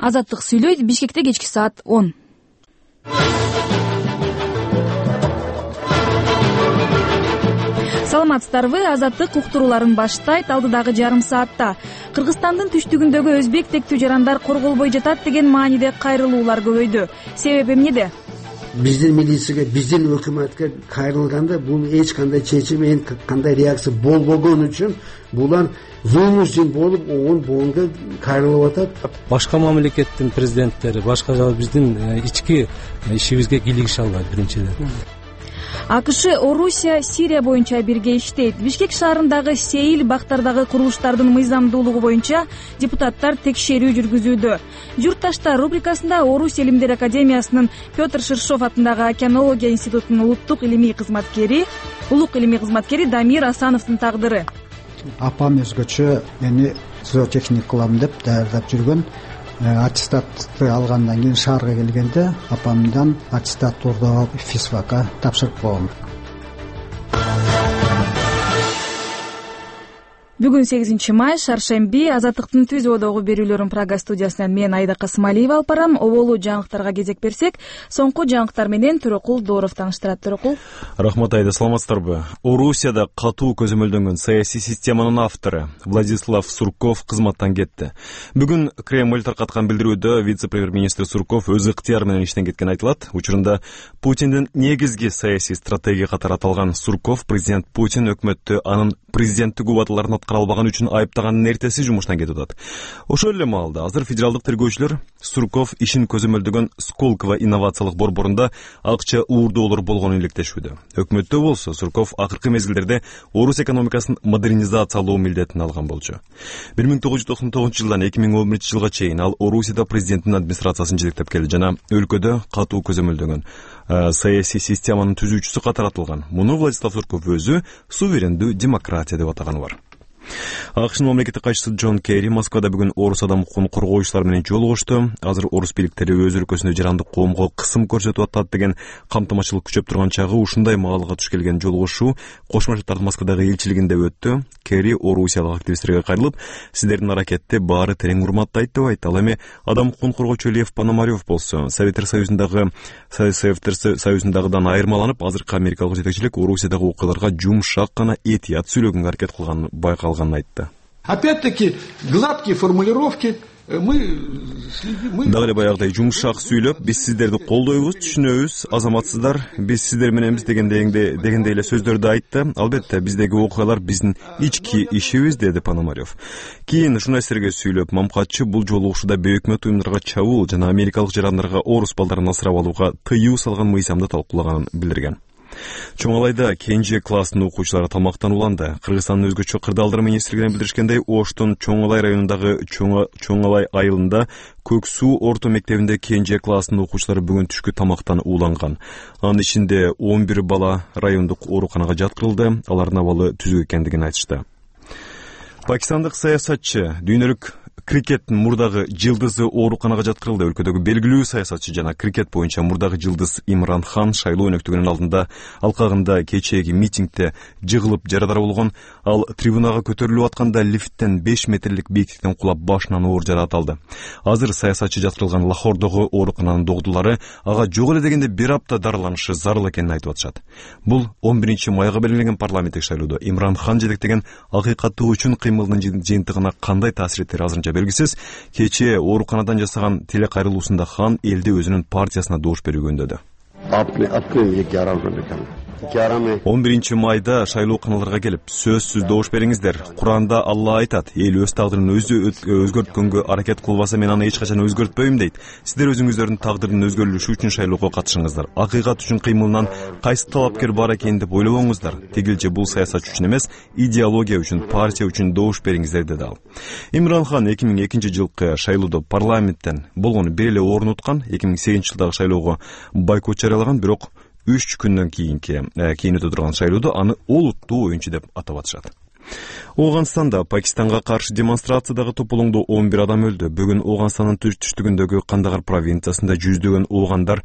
Азаттык сүйлөйт. Бишкекте кечки саат 10. Саламатсыздарбы? Азаттык уктурууларын баштайт. Алдыдагы жарым саатта Кыргызстандын түштүгүндөгү өзбек тектүү жарандар корголбой жатат деген мааниде кайрылуулар көбөйдү. Себеби эмнеде? Биздин милицияга, биздин өкмөткө кайрылганда бул эч кандай чечим, кандай реакция болбогон үчүн булар вынужден болуп боонго кайрылып атат. Башка мамлекеттин президенттери, башка биздин ички ишибизге кийлигише албайт биринчиден. АКШ, Орусия, Сирия боюнча бирге иштейт. Бишкек шаарындагы сейил бактардагы курулуштардын мыйзамдуулугу боюнча депутаттар текшерүү жүргүзүүдө. Журтташтар рубрикасында Орус Илимдер академиясынын Петр Ширшов атындагы океанология институтунун улук илимий кызматкери Дамир Асановдун тагдыры. Апам өзгөчө мени зоотехник кылам деп даярдап жүргөн. Аттестатты алгандан кийин шаарга келгенде апамдан аттестат ордоп алып физфакка тапшырып койгом. Бүгүн 8 май, шаршемби. Азаттыктын түз одогу берүүлөрүн Прага студиясынан мен Айда Касымалиева алып барам. Оболу жаңылыктарга кезек берсек, соңку жаңылыктар менен Төрөкул Дооров тааныштырат. Төрөкул. Рахмат Айда, саламатсыздарбы? Орусияда катуу көзөмөлдөнгөн саясий системанын автору Владислав Сурков кызматтан кетти. Бүгүн Кремль таркаткан билдирүүдө вице-премьер-министр Сурков өз ыктыяры менен иштен кеткен айтылат. Учурунда Путиндин негизги саясий стратегия катары аталган Сурков президент Путин өкмөттү анын президенттик убадаларын аткара албаган үчүн айыптаганын эртеси жумуштан кетип атат. Ошол эле маалда азыр федералдык тергөөчүлөр Сурков ишин көзөмөлдөгөн Сколково инновациялык борборунда акча уурдоолор болгонун иликтешүүдө. Өкмөттө болсо Сурков акыркы мезгилдерде Орус экономикасын модернизациялоо милдетин алган болчу. 1999 жылдан 2011 жылга чейин ал Орусияда президенттин администрациясын жетектеп келди жана өлкөдө катуу көзөмөлдөгөн саясий системанын түзүүчүсү катары аталган. Муну Владислав Сурков өзү суверендүү демократия деп атаганы бар. АКШнын мамлекеттик катчысы Джон Керри Москвада бүгүн орус адам укугун коргоочулар менен жолугушту. Азыр орус бийликтери өз өлкөсүндө жарандык коомго кысым көрсөтүп атат деген камтымачылык күчөп турган чагы ушундай маалга туш келген жолугушуу Кошмо Штаттардын Москвадагы элчилигинде өттү. Керри орусиялык активисттерге кайрылып, сиздердин аракетти баары терең урматтайт деп айтты. Ал эми адам укугун коргоочу Лев Пономарев болсо, Советтер Союзундагыдан айырмаланып, азыркы америкалык жетекчилик Орусиядагы окуяларга жумшак гана этият сүйлөгөнгө аракет кылганын байкалганын айтты. Опять-таки, гладкие формулировки. Дагы эле баягыдай жумшак сүйлөп, биз сиздерди колдойбуз, түшүнөбүз, азаматсыздар, биз сиздер мененбиз дегендей эле сөздөрдү айтты. Албетте, биздеги окуялар биздин ички ишибиз, деди Пономарев. Кийин журналисттерге сүйлөп, Мамкатчы бул жолугушууда бейөкмөт уюмдарга чабуул жана америкалык жарандарга орус балдарын асырап алууга тыюу салган мыйзамды талкуулаганын билдирген. Чоңалайда кенже класстын окуучулары тамактанууланды. Кыргызстандын өзгөчө кырдаалдар министрлигинен билдиришкендей, Оштун Чоңалай районундагы Чоңалай айылында Көк суу орто мектебинде кенже класстын окуучулары бүгүн түшкү тамактан ууланган. Анын ичинде 11 бала райондук ооруканага жаткырылды. Алардын абалы түзүк экендигин айтышты. Пакистандык саясатчы дүйнөлүк крикеттин мурдагы жылдызы ооруканага жаткырылды. Өлкөдөгү белгилүү саясатчы жана крикет боюнча мурдагы жылдыз Имран Хан шайлоо өнөктүгүнүн алдында алкагында кечээги митингде жыгылып жарадар болгон. Ал трибунага көтөрүлүп атканда лифттен 5 метрлик бийиктиктен кулап башынан оор жараат алды. Азыр саясатчы жаткырылган Лахордогу оорукананын докдурлары ага жок эле дегенде 1 апта дарыланышы зарыл экенин айтып атышат. Бул 11 майга белгиленген парламенттик шайлоодо Имран Хан жетектеген акыйкаттуу үчүн кыймылынын жыйынтыгына кандай таасир этери азырынча белгисиз. Кечээ ооруканадан жасаган телекайрылуусунда Хан элди өзүнүн партиясына добуш берүүгө үндөдү. 11 майда шайлооканаларга келип сөзсүз добуш бериңиздер. Куранда Алла айтат, эл өз тагдырын өзү өзгөрткөнгө аракет кылбаса мен аны эч качан өзгөртпөйм дейт. Сиздер өзүңүздөрдүн тагдырынын өзгөрүлүшү үчүн шайлоого катышыңыздар. Акыйкат үчүн кыймылынан кайсы талапкер бар экенин деп ойлобоңуздар. Тигилче бул саясат үчүн эмес, идеология үчүн, партия үчүн добуш бериңиздер, деди ал. Имран Хан 2002 жылкы шайлоодо парламенттен болгону бир эле орун уткан. 2008 жылдагы шайлоого бойкот жарыялаган, бирок 3 күндөн кийин өтө турган шайлоодо аны олуттуу оюнчу деп атап атышат. Оганстанда Пакистанга каршы демонстрациядагы тополоңдо 11 адам өлдү. Бүгүн Оганстандын түштүгүндөгү Кандагар провинциясында жүздөгөн огандар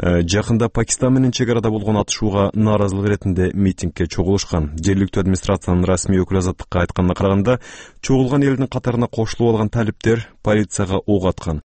жакында Пакистан менен чек арада болгон атышууга нааразылык иретинде митингге чогулушкан. Жергиликтүү администрациянын расмий өкүлү азаттыкка айтканына караганда, чогулган элдин катарына кошулуп алган талиптер полицияга ок аткан.